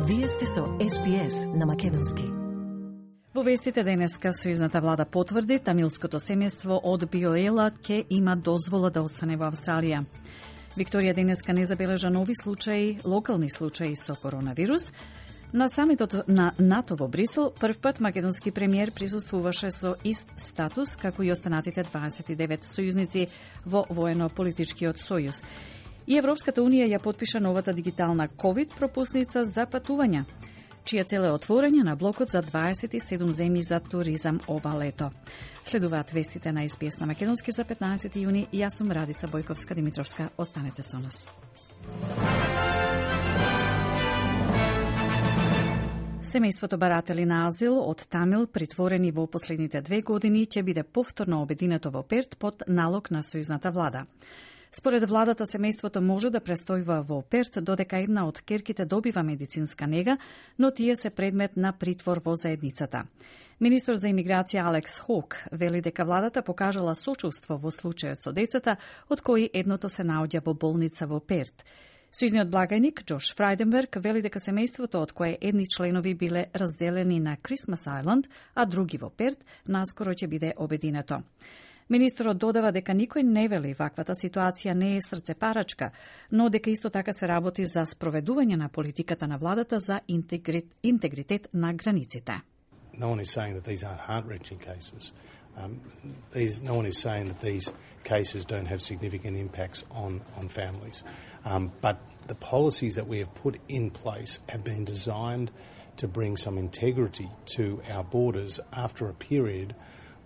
Вие сте со СПС на македонски. Во вестите денеска сојузната влада потврди тамилското семејство од Биоела ќе има дозвола да остане во Австралија. Викторија денеска не забележа нови случаи, локални случаи со коронавирус. На самитот на НАТО во Брисел, првпат македонски премиер присуствуваше со ист статус како и останатите 29 сојузници во воено-политичкиот сојуз. И Европската Унија ја потпиша новата дигитална ковид пропусница за патувања, чија цел е отворање на блокот за 27 земји за туризам ова лето. Следуваат вестите на СПС на македонски за 15 јуни. Јас сум Радица Бојковска-Димитровска. Останете со нас. Семејството баратели на азил од Тамил, притворени во последните 2 години, ќе биде повторно обединето во Перт под налог на сојузната влада. Според владата, семејството може да престојува во Перт додека една од керките добива медицинска нега, но тие се предмет на притвор во заедницата. Министр за имиграција Алекс Хок вели дека владата покажала сочувство во случајот со децата, од кои едното се наоѓа во болница во Перт. Сојузниот благајник Джош Фрајденберг вели дека семејството од кое едни членови биле разделени на Крисмас Ајланд, а други во Перт, наскоро ќе биде обединето. Министерот додава дека никој не вели ваквата ситуација не е срцепарачка, но дека исто така се работи за спроведување на политиката на владата за интегритет на границите. No one is saying that these aren't heart-wrenching cases. No one is saying that these cases don't have significant impacts on families. But the policies that we have put in place have been designed to bring some integrity to our borders after a period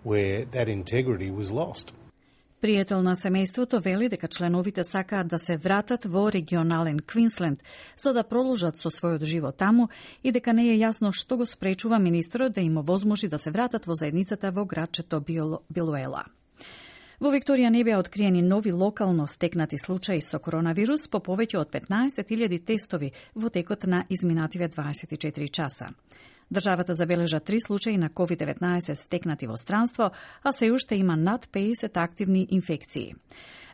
where that integrity was lost. Пријател на семејството вели дека членовите сакаат да се вратат во регионален Квинсленд за да продолжат со својот живот таму и дека не е јасно што го спречува министерот да им овозможи да се вратат во заедницата во градчето Билуела. Во Викторија не беа откриени нови локално стекнати случаи со коронавирус по повеќе од 15.000 тестови во текот на изминативе 24 часа. Државата забележа 3 случаи на COVID-19 стекнати во странство, а се уште има над 50 активни инфекции.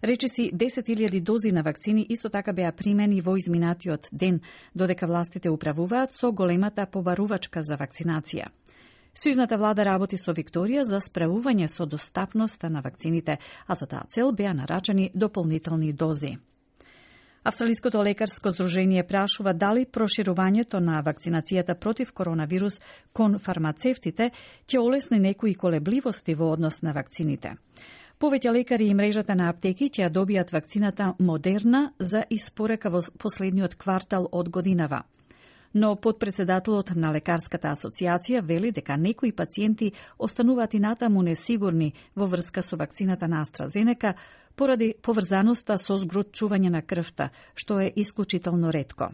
Речиси 10.000 дози на вакцини исто така беа примени во изминатиот ден, додека властите управуваат со големата побарувачка за вакцинација. Сојузната влада работи со Викторија за справување со достапноста на вакцините, а за таа цел беа нарачани дополнителни дози. Австралиското лекарско здружение прашува дали проширувањето на вакцинацијата против коронавирус кон фармацевтите ќе олесни некои колебливости во однос на вакцините. Повеќе лекари и мрежата на аптеки ќе ја добијат вакцината Модерна за испорека во последниот квартал од годинава. Но подпредседателот на Лекарската асоциација вели дека некои пациенти остануваат и натаму несигурни во врска со вакцината на AstraZeneca поради поврзаноста со згручување на крвта, што е исклучително ретко.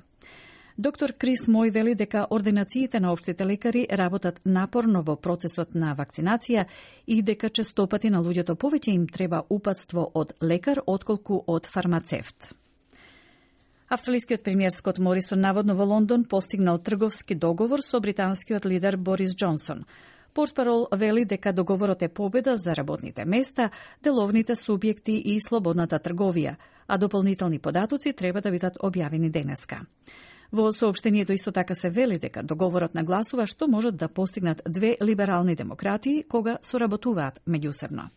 Доктор Крис Мој вели дека ординациите на општите лекари работат напорно во процесот на вакцинација и дека честопати на луѓето повеќе им треба упатство од лекар отколку од фармацевт. Австралискиот премиер Скот Морисон наводно во Лондон постигнал трговски договор со британскиот лидер Борис Џонсон. Портпарол вели дека договорот е победа за работните места, деловните субјекти и слободната трговија, а дополнителни податоци треба да бидат објавени денеска. Во соопштението исто така се вели дека договорот нагласува што можат да постигнат две либерални демократи кога соработуваат меѓусебно.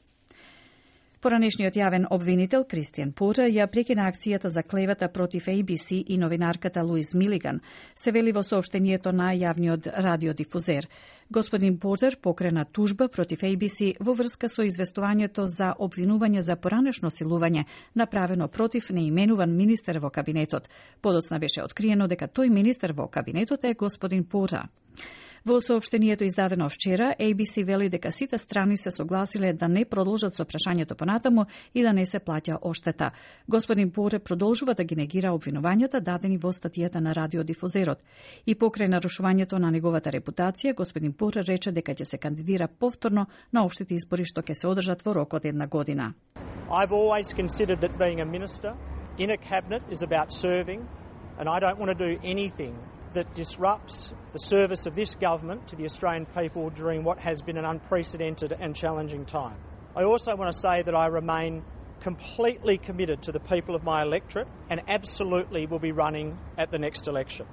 Поранешниот јавен обвинител Кристијан Портер ја прекина акцијата за клевета против ABC и новинарката Луис Милиган, се вели во соопштението на јавниот радиодифузер. Господин Портер покрена тужба против ABC во врска со известувањето за обвинување за поранешно силување направено против неименуван министер во кабинетот. Подоцна беше откриено дека тој министер во кабинетот е господин Портер. Во соопштението издадено вчера, ABC вели дека сите страни се согласиле да не продолжат со прашањето понатаму и да не се плаќа оштета. Господин Поре продолжува да ги негира обвинувањата дадени во статијата на радиодифузерот. И покрај нарушувањето на неговата репутација, господин Поре рече дека ќе се кандидира повторно на општите избори што ќе се одржат во рок од 1 година. I've always considered that being a minister in a cabinet is about serving, and I don't want to do anything that disrupts the service of this government to the Australian people during what has been an unprecedented and challenging time. I also want to say that I remain completely committed to the people of my electorate and absolutely will be running at the next election.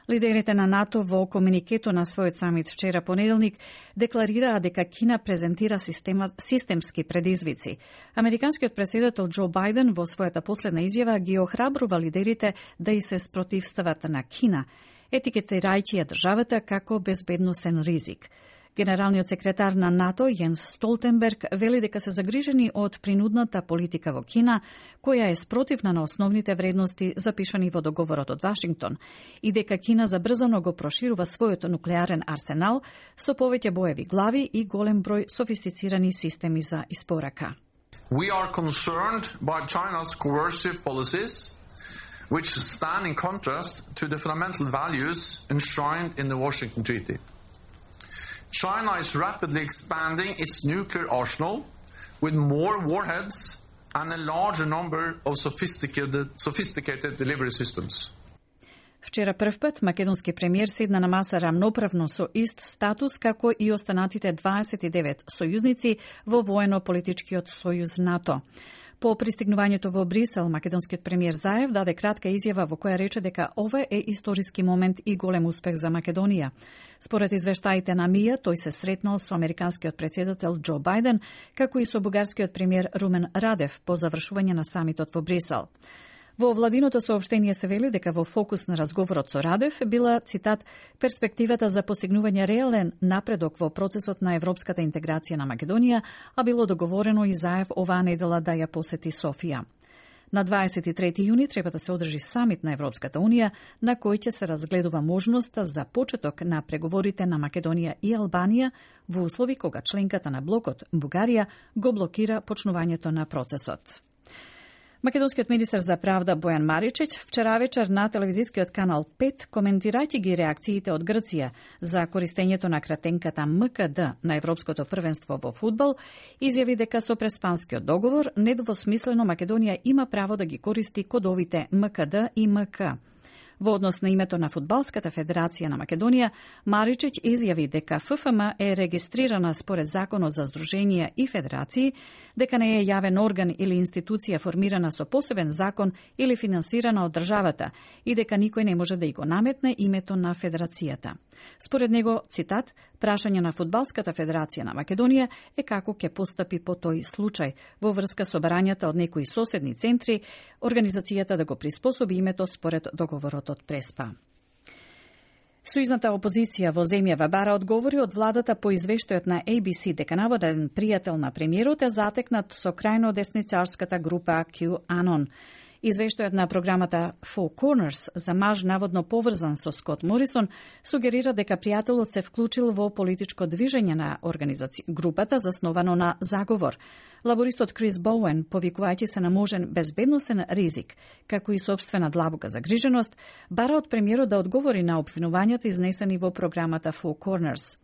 Лидерите на НАТО во комуникето на својот самит вчера понеделник декларираа дека Кина презентира системски предизвици. Американскиот претседател Џо Бајден во својата последна изјава ги охрабрува лидерите да и се спротивстават на Кина, етикетирајќи ја државата како безбедносен ризик. Генералниот секретар на НАТО Јенс Столтенберг вели дека се загрижени од принудната политика во Кина, која е спротивна на основните вредности запишани во договорот од Вашингтон, и дека Кина забрзано го проширува својот нуклеарен арсенал со повеќе боеви глави и голем број софистицирани системи за испорака. We are concerned by China's coercive policies, which stand in contrast to the fundamental values enshrined in the Washington Treaty. China is rapidly expanding its nuclear arsenal with more warheads and a larger number of sophisticated delivery systems. Вчера првпат македонски премиер седна на маса рамноправно со ист статус како и останатите 29 сојузници во воено-политичкиот сојуз НАТО. По пристигнувањето во Брисел, македонскиот премиер Заев даде кратка изјава во која рече дека ова е историски момент и голем успех за Македонија. Според извештаите на МИА, тој се сретнал со американскиот претседател Џо Бајден, како и со бугарскиот премиер Румен Радев по завршување на самитот во Брисел. Во владиното соопштение се вели дека во фокус на разговорот со Радев била, цитат, перспективата за постигнување реален напредок во процесот на европската интеграција на Македонија, а било договорено и Заев оваа недела да ја посети Софија. На 23 јуни треба да се одржи самит на Европската Унија, на кој ќе се разгледува можноста за почеток на преговорите на Македонија и Албанија во услови кога членката на блокот Бугарија го блокира почнувањето на процесот. Македонскиот министар за правда Бојан Маричич вчера вечер на телевизискиот канал 5, коментирајќи ги реакциите од Грција за користењето на кратенката МКД на Европското првенство во фудбал, изјави дека со преспанскиот договор недвосмислено Македонија има право да ги користи кодовите МКД и МК. Во однос на името на Фудбалската федерација на Македонија, Маричич изјави дека ФФМ е регистрирана според Законот за здруженија и федерации, дека не е јавен орган или институција формирана со посебен закон или финансирана од државата и дека никој не може да и го наметне името на федерацијата. Според него, цитат, прашање на Фудбалската федерација на Македонија е како ќе постапи по тој случај во врска со барањата од некои соседни центри, организацијата да го приспособи името според договорот од Преспа. Сојузната опозиција во земјава бара одговори од владата по извештајот на ABC дека наводен пријател на премиерот е затекнат со крајно десницарската група QAnon. Извештајот на програмата Four Corners за маж наводно поврзан со Скот Морисон сугерира дека пријателот се вклучил во политичко движење на групата засновано на заговор. Лабористот Крис Боуен, повикувајќи се на можен безбедносен ризик, како и собствена длабока загриженост, бара од премиерот да одговори на опфинувањата изнесени во програмата Four Corners.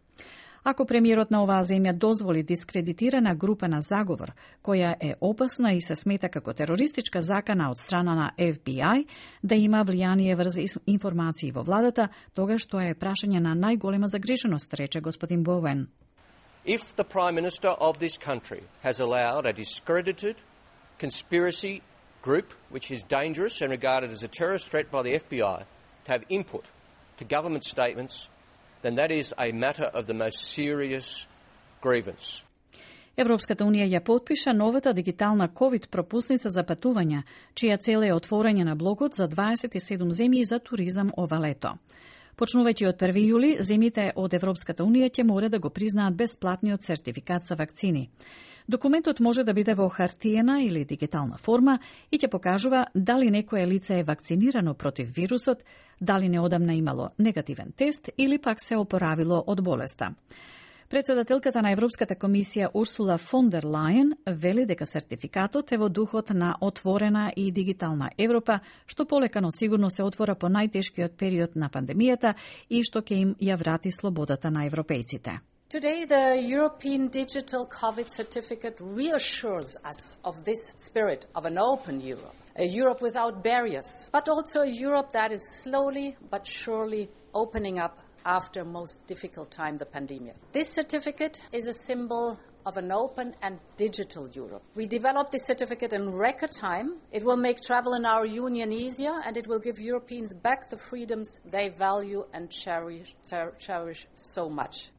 Ако премиерот на оваа земја дозволи дискредитирана група на заговор, која е опасна и се смета како терористичка закана од страна на FBI, да има влијание врз информации во владата, тогаш тоа е прашање на најголема загриженост, рече господин Боуен. If the Prime Minister of this country has allowed a discredited conspiracy group, which is dangerous and regarded as a terrorist threat by the FBI, to have input to government statements, then that is a matter of the most serious grievance. Европската Унија ја потпиша новата дигитална COVID пропусница за патувања, чија цел е отворање на блокот за 27 земји за туризам ова лето. Почнувајќи од 1 јули, земјите од Европската Унија ќе мора да го признаат бесплатниот сертификат за вакцини. Документот може да биде во хартиена или дигитална форма и ќе покажува дали некое лице е вакцинирано против вирусот, дали неодамна имало негативен тест или пак се опоравило од болеста. Председателката на Европската комисија Урсула фон дер Лајен вели дека сертификатот е во духот на отворена и дигитална Европа, што полекано сигурно се отвора по најтешкиот период на пандемијата и што ќе им ја врати слободата на европејците. Today, the European Digital COVID Certificate reassures us of this spirit of an open Europe, a Europe without barriers, but also a Europe that is slowly but surely opening up after most difficult time, the pandemic. This certificate is a symbol of an open and digital Europe. We developed this certificate in record time. It will make travel in our union easier, and it will give Europeans back the freedoms they value and cherish so much.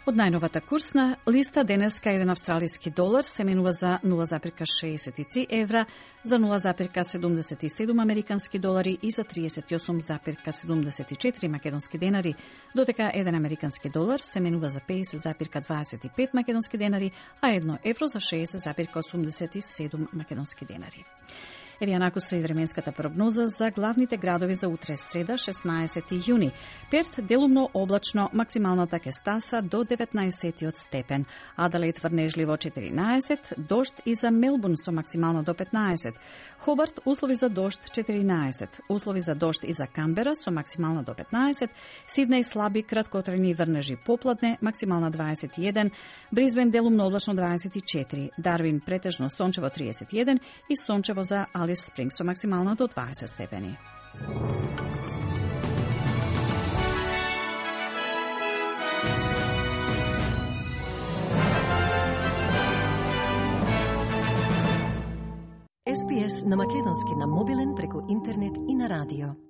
Од најновата курсна листа денеска еден австралиски долар се менува за 0,63 евра, за 0,77 американски долари и за 38,74 македонски денари, додека еден американски долар се менува за 50,25 македонски денари, а 1 евро за 60,87 македонски денари. Еве јанаку со и временската прогноза за главните градови за утре среда 16 јуни. Перт делумно облачно, максималната ќе стаса до 19 степен. Аделаид врнежливо 14, дожд и за Мелбурн со максимално до 15. Хобарт услови за дожд 14, услови за дожд и за Камбера со максимално до 15. Сиднеј слаби краткотрajни врнежи попладне, максимална 21. Брисбен делумно облачно 24. Дарвин претежно сончево 31 и сончево за Алис Спрингс со максимално до 20 степени. SPS на македонски на мобилен преку интернет и на радио.